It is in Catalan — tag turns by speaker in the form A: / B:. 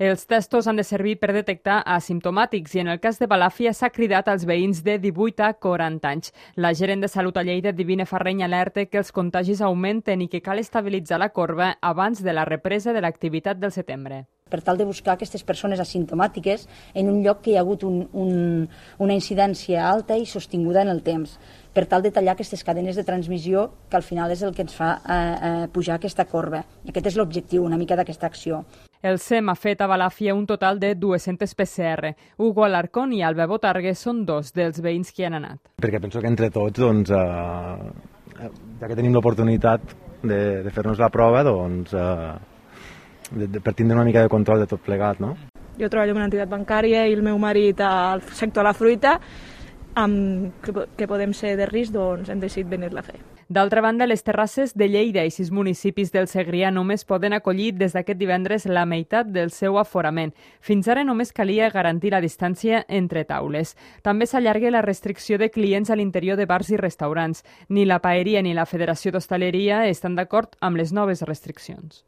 A: Els testos han de servir per detectar asimptomàtics i en el cas de Balàfia s'ha cridat als veïns de 18 a 40 anys. La gerent de Salut a Lleida, Divine Farreny, alerta que els contagis augmenten i que cal estabilitzar la corba abans de la represa de l'activitat del setembre.
B: Per tal de buscar aquestes persones asimptomàtiques en un lloc que hi ha hagut una incidència alta i sostinguda en el temps, per tal de tallar aquestes cadenes de transmissió que al final és el que ens fa pujar aquesta corba. I aquest és l'objectiu una mica d'aquesta acció.
A: El SEM ha fet a Balàfia un total de 200 PCR. Hugo Alarcón i Alba Botargue són dos dels veïns que hi han anat.
C: Perquè penso que entre tots, ja que tenim l'oportunitat de fer-nos la prova, per tindre una mica de control de tot plegat, no?
D: Jo treballo en una entitat bancària i el meu marit al sector de la fruita, que podem ser de risc, doncs hem decidit venir-la a fer.
A: D'altra banda, les terrasses de Lleida i 6 municipis del Segrià només poden acollir des d'aquest divendres la meitat del seu aforament. Fins ara només calia garantir la distància entre taules. També s'allarga la restricció de clients a l'interior de bars i restaurants. Ni la Paeria ni la Federació d'Hostaleria estan d'acord amb les noves restriccions.